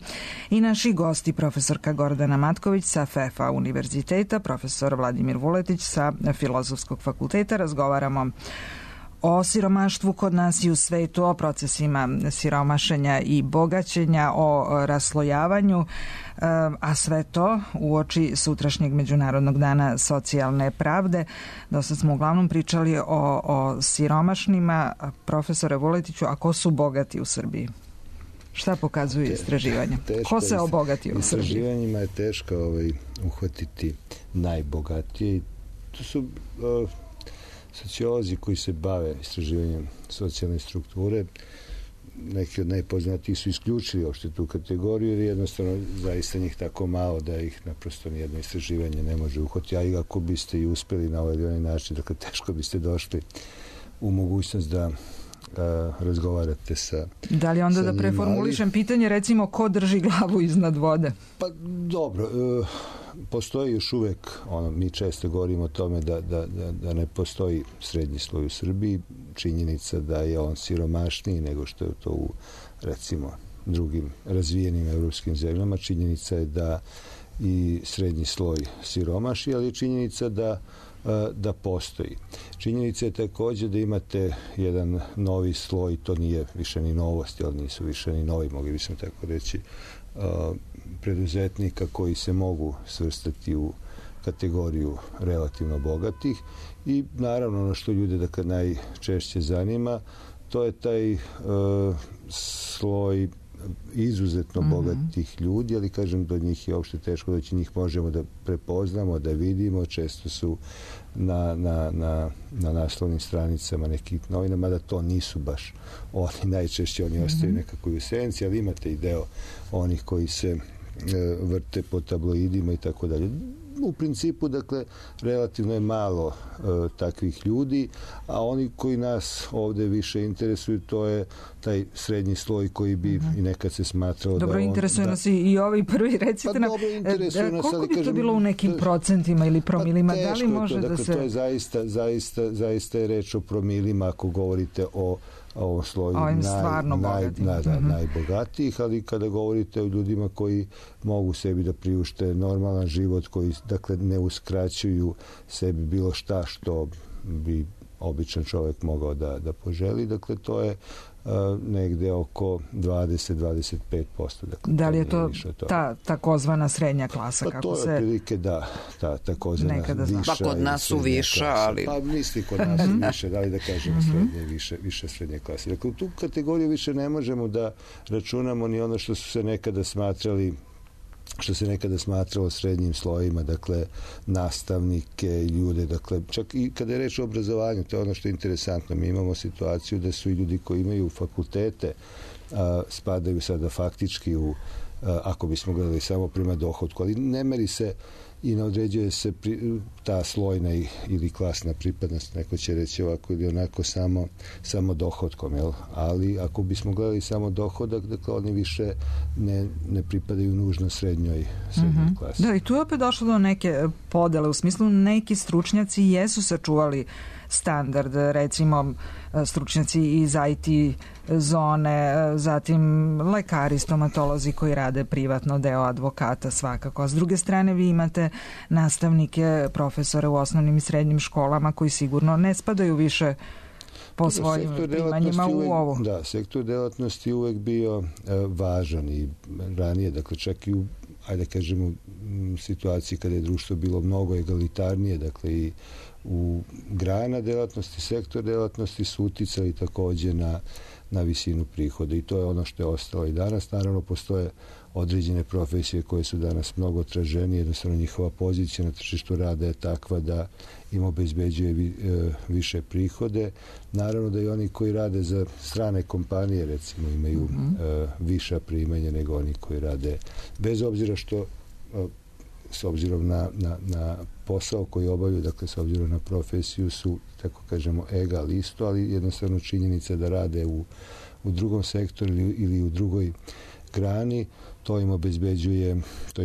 I naši gosti, profesorka Gordana Matković sa FEFA univerziteta, profesor Vladimir Vuletić sa Filozofskog fakulteta. Razgovaramo o siromaštvu kod nas i u svetu, o procesima siromašenja i bogaćenja, o raslojavanju, a sve to uoči sutrašnjeg Međunarodnog dana socijalne pravde. Dosta smo uglavnom pričali o siromašnima. Profesore Vuletiću, a ko su bogati u Srbiji? Šta pokazuju istraživanja? Ko se obogatio u Srbiji? Istraživanjima je teško uhvatiti najbogatije. To su sociolozi koji se bave istraživanjem socijalne strukture. Neki od najpoznatijih su isključili uopšte tu kategoriju, jer jednostavno zaista njih tako malo da ih naprosto nijedno istraživanje ne može uhvatiti. A i ako biste i uspeli na ovaj ili onaj način, dakle teško biste došli u mogućnost da razgovarate sa Da li onda da preformulišem pitanje, recimo, ko drži glavu iznad vode? Pa dobro, postoji još uvek, mi često govorimo o tome da ne postoji srednji sloj u Srbiji. Činjenica da je on siromašniji nego što je to u, recimo, drugim razvijenim evropskim zemljama. Činjenica je da i srednji sloj siromaši, ali je činjenica da postoji. Činjenica je također da imate jedan novi sloj, to nije više ni novosti, ali nisu više ni novi, mogli bismo tako reći, preduzetnika koji se mogu svrstati u kategoriju relativno bogatih. I naravno ono što ljude dakle najčešće zanima, to je taj sloj izuzetno bogatih ljudi, ali kažem, do njih je uopšte teško doći, njih možemo da prepoznamo, da vidimo, često su na naslovnim stranicama nekih novina, mada to nisu baš oni, najčešće oni ostaju nekako u senci, ali imate i deo onih koji se vrte po tabloidima i tako dalje. U principu, dakle, relativno je malo takvih ljudi, a oni koji nas ovde više interesuju, to je taj srednji sloj koji bi i nekad se smatrao dobro, interesuje nas i ovi prvi, recite nam, koliko bi to bilo u nekim procentima ili promilima? Da li može da se... To je zaista je reč o promilima ako govorite o ovom sloju najbogatijih, ali kada govorite o ljudima koji mogu sebi da priušte normalan život, koji dakle ne uskraćuju sebi bilo šta što bi običan čovjek mogao da poželi, dakle to je negde oko 20-25%. Dakle, da li je to ta takozvana srednja klasa? Pa to je otprilike ta takozvana viša. Pa kod nas su viša, ali... Pa misli kod nas su više, da li da kažemo više srednje klase. Dakle, u tu kategoriju više ne možemo da računamo ni ono što su se nekada smatralo srednjim slojima, dakle nastavnike, ljude, dakle čak i kada je reč o obrazovanju, to je ono što je interesantno. Mi imamo situaciju da su i ljudi koji imaju fakultete spadaju sada faktički u, ako bismo gledali samo prema dohodku, ali ne meri se i ne određuje se ta slojna ili klasna pripadnost, neko će reći ovako ili onako samo dohodkom, jel? Ali ako bismo gledali samo dohodak, dakle oni više ne pripadaju nužno srednjoj klasi. Da, i tu je opet došlo do neke podele, u smislu neki stručnjaci jesu sačuvali standard, recimo stručnjaci iz IT zone, zatim lekari, stomatolozi koji rade privatno, deo advokata svakako. A s druge strane vi imate nastavnike, profesore u osnovnim i srednjim školama koji sigurno ne spadaju više po svojim primanjima u ovo. Da, sektor delatnosti je uvek bio važan i ranije, dakle čak i u, ajde kažemo, situaciji kada je društvo bilo mnogo egalitarnije, dakle i u grana delatnosti, sektor delatnosti su uticali takođe na visinu prihoda i to je ono što je ostalo i danas. Naravno, postoje određene profesije koje su danas mnogo traženije, jednostavno njihova pozicija na tržištu rada je takva da im obezbeđuje više prihode. Naravno da i oni koji rade za strane kompanije, recimo, imaju viša primanja nego oni koji rade, bez obzira što s obzirom na posao koji obavljaju, dakle s obzirom na profesiju su, tako kažemo, egal isto, ali jednostavno činjenica da rade u drugom sektoru ili u drugoj grani, to im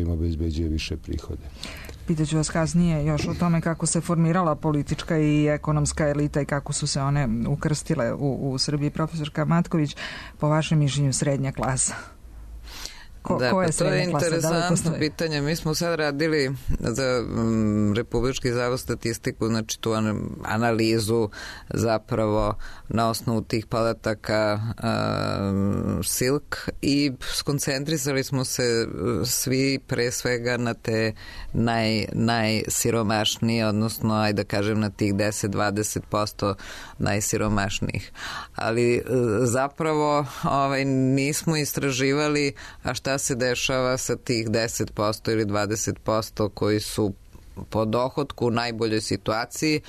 obezbeđuje više prihode. pitaću vas kasnije još o tome kako se formirala politička i ekonomska elita i kako su se one ukrstile u Srbiji. Profesorka Matković, po vašem mišljenju srednja klasa? To je interesantno pitanje. Mi smo sad radili za Republički zavod statistiku, znači tu analizu zapravo na osnovu tih podataka SILK i skoncentrisali smo se svi pre svega na te najsiromašnije, odnosno ajde da kažem na tih 10-20% najsiromašnijih. Ali zapravo nismo istraživali šta se dešava sa tih 10% ili 20% koji su po dohotku u najboljoj situaciji.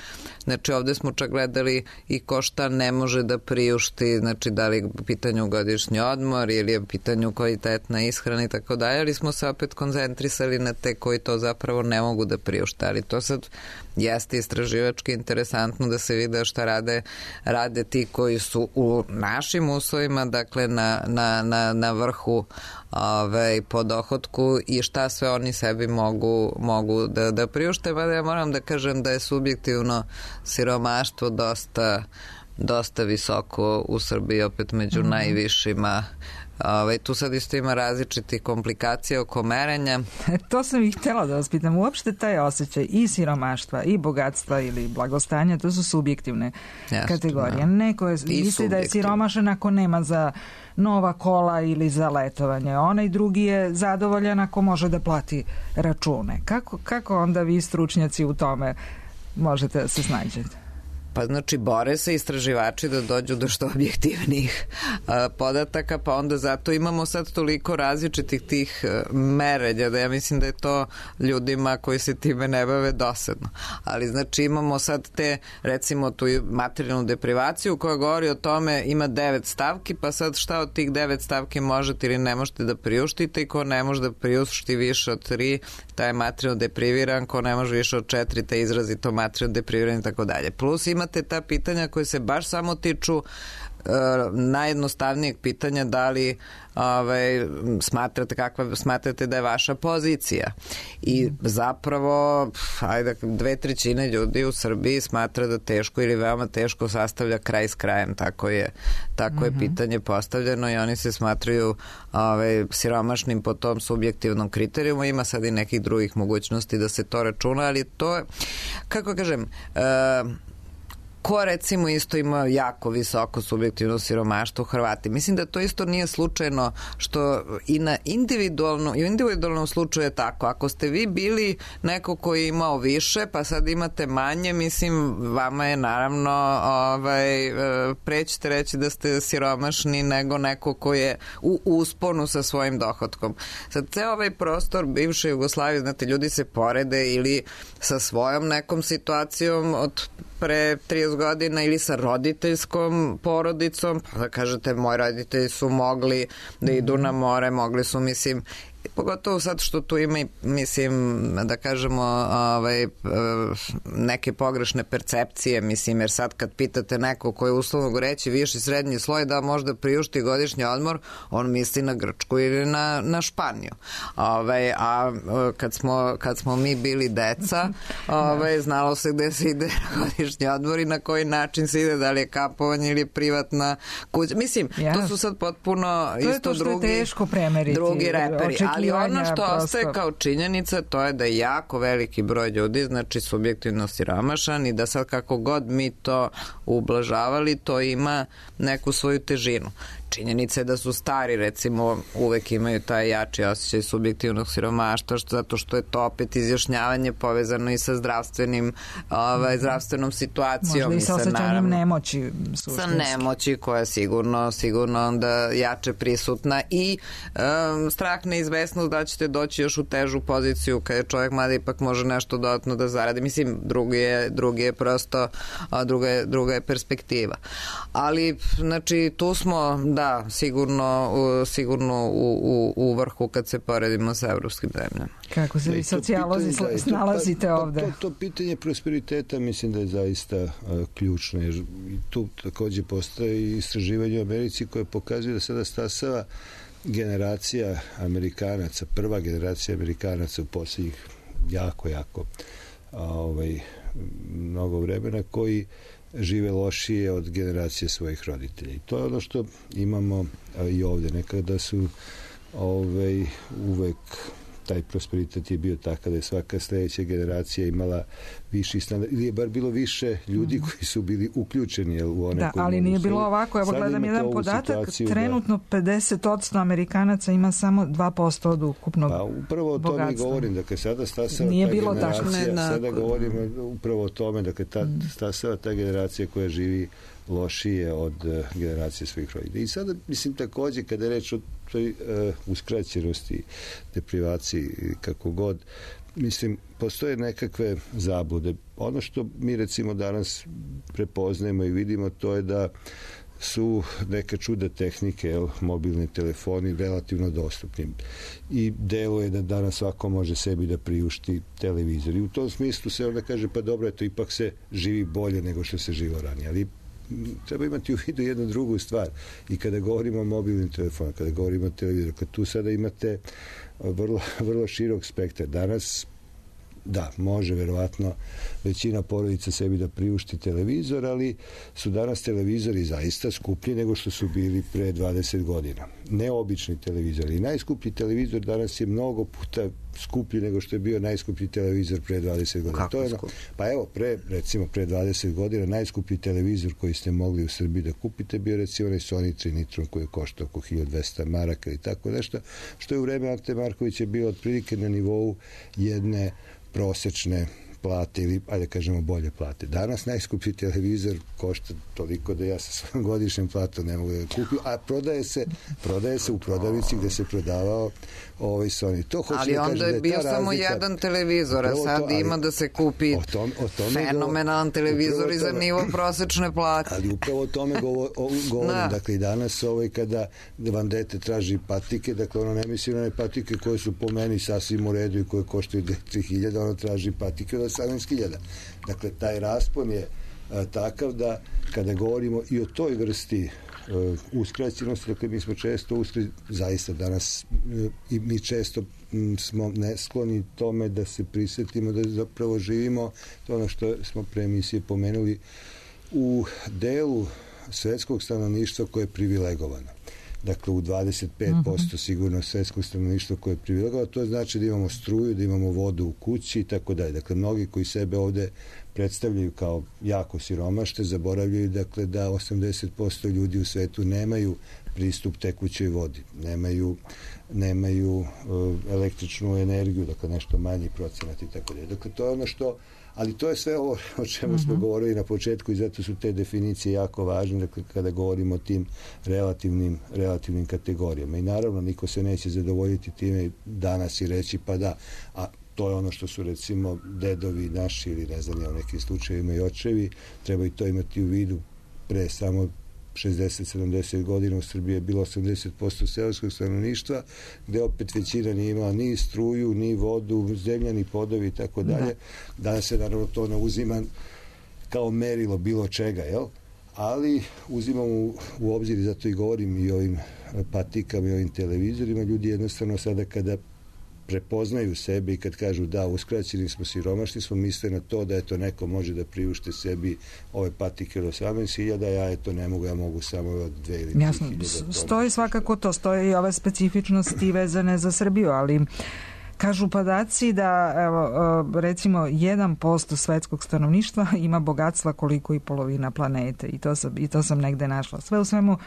Znači ovde smo čak gledali i ko šta ne može da priušti, znači da li je u pitanju godišnji odmor ili je u pitanju kvalitetna ishrana i tako dalje, ali smo se opet koncentrisali na te koji to zapravo ne mogu da priušte. Ali to sad jeste istraživački interesantno da se vide šta rade ti koji su u našim uslovima, dakle na vrhu po dohotku i šta sve oni sebi mogu da priušte. Pa ja moram da kažem da je subjektivno siromaštvo dosta visoko u Srbiji, opet među najvišima. Tu sad isto ima različitih komplikacija oko merenja. To sam i htjela da vas pitam. Uopšte taj osjećaj i siromaštva i bogatstva ili blagostanja, to su subjektivne kategorije. Neko misli da je siromašan ako nema za nova kola ili za letovanje. Onaj drugi je zadovoljan ako može da plati račune. Kako onda vi stručnjaci u tome možete da se snađete? Pa znači bore se istraživači da dođu do što objektivnih podataka, pa onda zato imamo sad toliko različitih tih merenja da ja mislim da je to ljudima koji se time ne bave dosadno. Ali znači imamo sad te recimo tu materijalnu deprivaciju koja govori o tome, ima 9 stavki, pa sad šta od tih 9 stavki možete ili ne možete da priuštite i ko ne može da priušti više od 3, taj je materijalno depriviran, ko ne može više od 4, taj je izrazito materijalno depriviran i tako dalje. Plus imate ta pitanja koje se baš samo tiču najjednostavnijeg pitanja da li smatrate da je vaša pozicija. I zapravo 2/3 ljudi u Srbiji smatra da teško ili veoma teško sastavlja kraj s krajem. Tako je pitanje postavljeno i oni se smatraju siromašnim po tom subjektivnom kriterijumu. Ima sad i nekih drugih mogućnosti da se to računa, ali to je, kako kažem, ko recimo isto ima jako visoko subjektivno siromaštvo, Hrvati. Mislim da to isto nije slučajno što i na individualnom slučaju je tako. Ako ste vi bili neko koji je imao više, pa sad imate manje, mislim, vama je naravno prećete reći da ste siromašni nego neko ko je u usponu sa svojim dohotkom. Sad, ceo ovaj prostor bivše Jugoslavije, znate, ljudi se porede ili sa svojom nekom situacijom od pre 30 godina ili sa roditeljskom porodicom, pa da kažete moji roditelji su mogli da idu na more, mogli su, mislim, pogotovo sad što tu ima, mislim, da kažemo neke pogrešne percepcije, mislim, jer sad kad pitate neko koji je uslovno reći viši srednji sloj da možda priušti godišnji odmor, on misli na Grčku ili na Španiju. Kad smo mi bili deca, znalo se gde se ide na godišnji odmor i na koji način se ide, da li je kampovanje ili privatna kuća. Mislim, to su sad potpuno isto drugi reperi. Ali ono što ostaje kao činjenica, to je da je jako veliki broj ljudi, znači subjektivno siromašan i da sad kako god mi to ublažavali, to ima neku svoju težinu. Činjenica je da su stari, recimo, uvek imaju taj jači osjećaj subjektivnog siromaštva, zato što je to opet izjašnjavanje povezano i sa zdravstvenom situacijom. Možda i sa osjećanjem nemoći. Sa nemoći koja je sigurno onda jače prisutna i strah, neizvesnost da ćete doći još u težu poziciju kada je čovjek mada ipak može nešto dodatno da zaradi. Mislim, drugi je prosto, druga je perspektiva. Ali, znači, tu smo, da, sigurno u vrhu kad se poredimo sa evropskim zemljama. Kako se vi socijalozi snalazite ovde? To pitanje prosperiteta mislim da je zaista ključno, jer tu takođe postoje istraživanje u Americi koje pokazuje da sada stasava generacija Amerikanaca, prva generacija Amerikanaca u posljednjih jako mnogo vremena, koji žive lošije od generacije svojih roditelja. I to je ono što imamo i ovde. Nekada su uvek taj prosperitet je bio takav da je svaka sledeća generacija imala viši standard, ili je bar bilo više ljudi koji su bili uključeni u one koji ali nije bilo ovako. Evo gledam jedan podatak, trenutno 50% Amerikanaca ima samo 2% od ukupnog bogatstva. Pa upravo o tome govorim, dakle sada stasava nije ta bilo generacija, sada govorimo upravo o tome, dakle stasava ta generacija koja živi lošije od generacije svojih roditelja. I sada, mislim, takođe, kada je reč o toj uskraćenosti, deprivaciji, kako god, mislim, postoje nekakve zablude. Ono što mi, recimo, danas prepoznajemo i vidimo, to je da su neke čuda tehnike, mobilni telefoni, relativno dostupni. I delo je da danas svako može sebi da priušti televizor. I u tom smislu se onda kaže, pa dobro, eto, ipak se živi bolje nego što se živo ranije. Ali treba imati u vidu jednu drugu stvar. I kada govorimo o mobilnim telefonima, kada govorimo o televizoru, kad tu sada imate vrlo širok spektar. Danas, da, može verovatno većina porodica sebi da priušti televizor, ali su danas televizori zaista skuplji nego što su bili pre 20 godina. Neobični televizori. I najskuplji televizor danas je mnogo puta skuplji nego što je bio najskuplji televizor pre 20 godina. Kako skuplji? Pa evo, recimo pre 20 godina najskuplji televizor koji ste mogli u Srbiji da kupite bio recimo onaj Sony Trinitron koji je koštao oko 1200 maraka i tako nešto, što je u vreme Ante Markovića bilo otprilike na nivou jedne prosečne plate ili, ajde kažemo, bolje plate. Danas najskuplji televizor košta toliko da ja sa svojom godišnjom platom ne mogu da kupim, a prodaje se u prodavnici gde se prodavao Sony. To hoće ali da onda je bio samo jedan televizor, a sad ima da se kupi fenomenalan televizor i za nivo prosečne plate. Ali upravo o tome govorim. Dakle, i danas kada vam dete traži patike, dakle, ono ne misli na one patike koje su po meni sasvim u redu i koje koštaju 3000, ono traži patike od 18.000. Dakle, taj raspon je takav da kada govorimo i o toj vrsti uskraćenosti, dakle, mi smo često zaista danas i mi često smo neskloni tome da se prisetimo da zapravo živimo, to ono što smo pre emisije pomenuli, u delu svetskog stanovništva koje je privilegovano. Dakle, u 25% sigurno svetskog stanovništva koje je privilegovano, to znači da imamo struju, da imamo vodu u kući i tako dalje. Dakle, mnogi koji sebe ovde predstavljaju kao jako siromašte, zaboravljaju, dakle, da 80% ljudi u svetu nemaju pristup tekućoj vodi, nemaju električnu energiju, dakle, nešto manji procenat i tako dalje. Dakle, to je ono što, ali to je sve ovo o čemu smo govorili na početku i zato su te definicije jako važne, dakle, kada govorimo o tim relativnim kategorijama. I naravno, niko se neće zadovoljiti time danas i reći, pa da, a to je ono što su, recimo, dedovi naši ili ne znam, u nekim slučajevima i očevi, treba i to imati u vidu. Pre samo 60-70 godina u Srbiji je bilo 80% seoskog stanovništva, gde opet većina nije imala ni struju, ni vodu, zemljani podovi i tako dalje. Danas se naravno to ne uzima kao merilo bilo čega, jel? Ali uzimamo u obzir, i zato i govorim i o ovim patikama i ovim televizorima, ljudi jednostavno sada kada prepoznaju sebe i kad kažu da, uskraćeni smo, siromašni smo, misle na to da eto neko može da priušte sebi ove patike od 18.000, ja eto ne mogu, ja mogu samo od 2 ili 3.000. Jasno, stoji svakako to, stoje i ove specifičnosti vezane za Srbiju, ali kažu podaci da, evo, recimo 1% svetskog stanovništva ima bogatstva koliko i polovina planete i to sam negde našla. Sve u svemu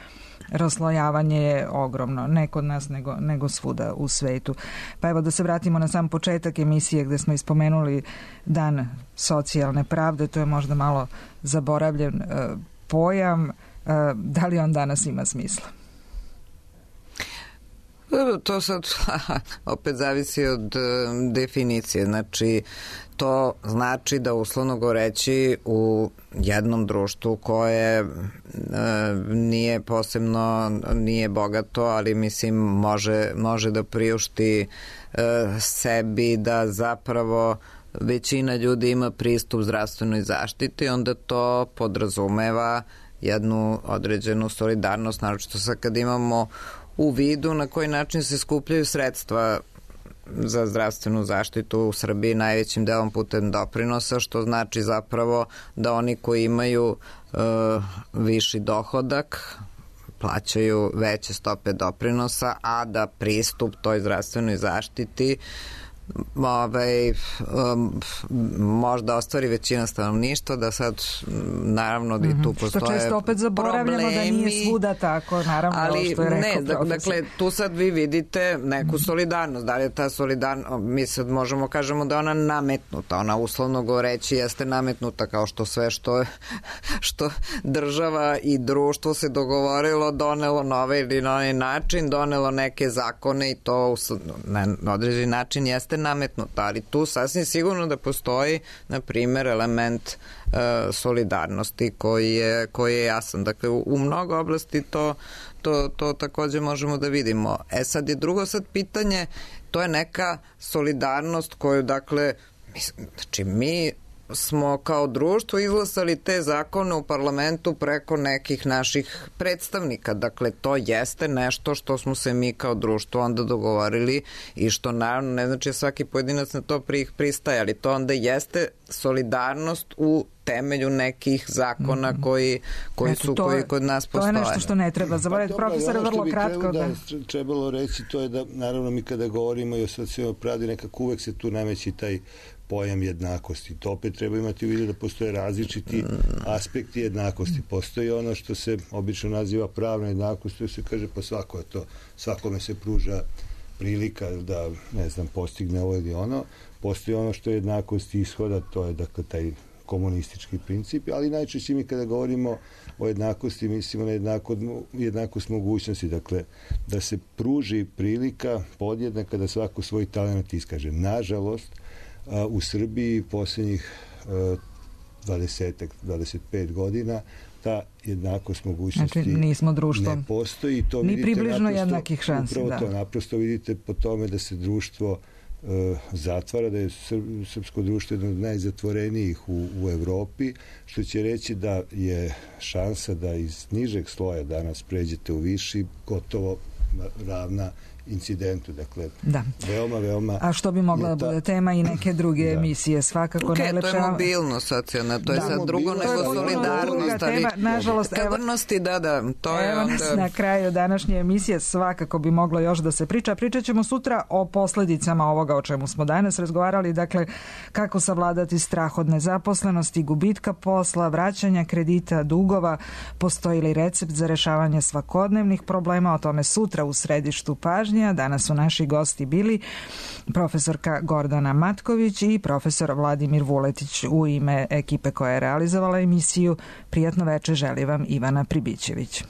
raslojavanje je ogromno, ne kod nas nego svuda u svetu. Pa evo da se vratimo na sam početak emisije gde smo ispomenuli Dan socijalne pravde, to je možda malo zaboravljen pojam. Da li on danas ima smisla? To sad opet zavisi od definicije. Znači, to znači da uslovno govoreći u jednom društvu koje nije posebno, nije bogato, ali mislim može da priušti sebi da zapravo većina ljudi ima pristup zdravstvenoj zaštiti, onda to podrazumeva jednu određenu solidarnost, naročito sad kad imamo u vidu na koji način se skupljaju sredstva za zdravstvenu zaštitu u Srbiji najvećim delom putem doprinosa, što znači zapravo da oni koji imaju viši dohodak plaćaju veće stope doprinosa, a da pristup toj zdravstvenoj zaštiti možda ostvari većina stanovništva, da sad naravno da i tu postoje što često opet zaboravljamo problemi, da nije svuda tako, naravno, ali što je rekao profesor. Dakle, tu sad vi vidite neku solidarnost. Da li je ta solidarnost, mi sad možemo kažemo da je ona nametnuta, ona uslovno govoreći jeste nametnuta, kao što sve što država i društvo se dogovorilo, donelo na ovaj ili na onaj način, donelo neke zakone i to na određeni način jeste nametnuto, ali tu sasvim sigurno da postoji, na primjer, element solidarnosti koji je jasan. Dakle, u mnogo oblasti to takođe možemo da vidimo. Sad je drugo pitanje, to je neka solidarnost koju, dakle, znači mi smo kao društvo izglasali te zakone u parlamentu preko nekih naših predstavnika. Dakle, to jeste nešto što smo se mi kao društvo onda dogovorili i što naravno ne znači svaki pojedinac na to pristaje, ali to onda jeste solidarnost u temelju nekih zakona koji kod nas postoje. To je nešto što ne treba zaboraviti. Profesor, vrlo kratko. Da trebalo reći, to je da naravno mi kada govorimo i o socijalnoj pravdi, nekako uvek se tu nameći taj pojam jednakosti. To opet treba imati u vidu da postoje različiti aspekti jednakosti. Postoji ono što se obično naziva pravna jednakost, to se kaže pa svakome se pruža prilika da, ne znam, postigne ovo ili ono. Postoji ono što je jednakost ishoda, to je dakle taj komunistički princip, ali najčešće mi kada govorimo o jednakosti mislimo na jednakost mogućnosti, dakle da se pruži prilika podjednaka da svako svoj talent iskaže. Nažalost, u Srbiji posljednjih 25 godina ta jednakost mogućnosti nismo društvo. Ne postoji. To ni približno jednakih šansi. Upravo to naprosto vidite po tome da se društvo zatvara, da je srpsko društvo jedno od najzatvorenijih u Evropi, što će reći da je šansa da iz nižeg sloja danas pređete u viši gotovo ravna incidentu, dakle, veoma... A što bi mogla da bude tema i neke druge emisije, svakako najlepša... To je mobilnost socijalna, to je sad drugo nego solidarnost, ali odgovornosti, to je onda... Nas na kraju današnje emisije svakako bi moglo još da se priča. Pričat ćemo sutra o posledicama ovoga o čemu smo danas razgovarali, dakle, kako savladati strah od nezaposlenosti, gubitka posla, vraćanja kredita, dugova, postoji li recept za rešavanje svakodnevnih problema, o tome sutra u središtu pažnje. Danas su naši gosti bili profesorka Gordana Matković i profesor Vladimir Vuletić. U ime ekipe koja je realizovala emisiju, prijatno veče želi vam Ivana Pribićević.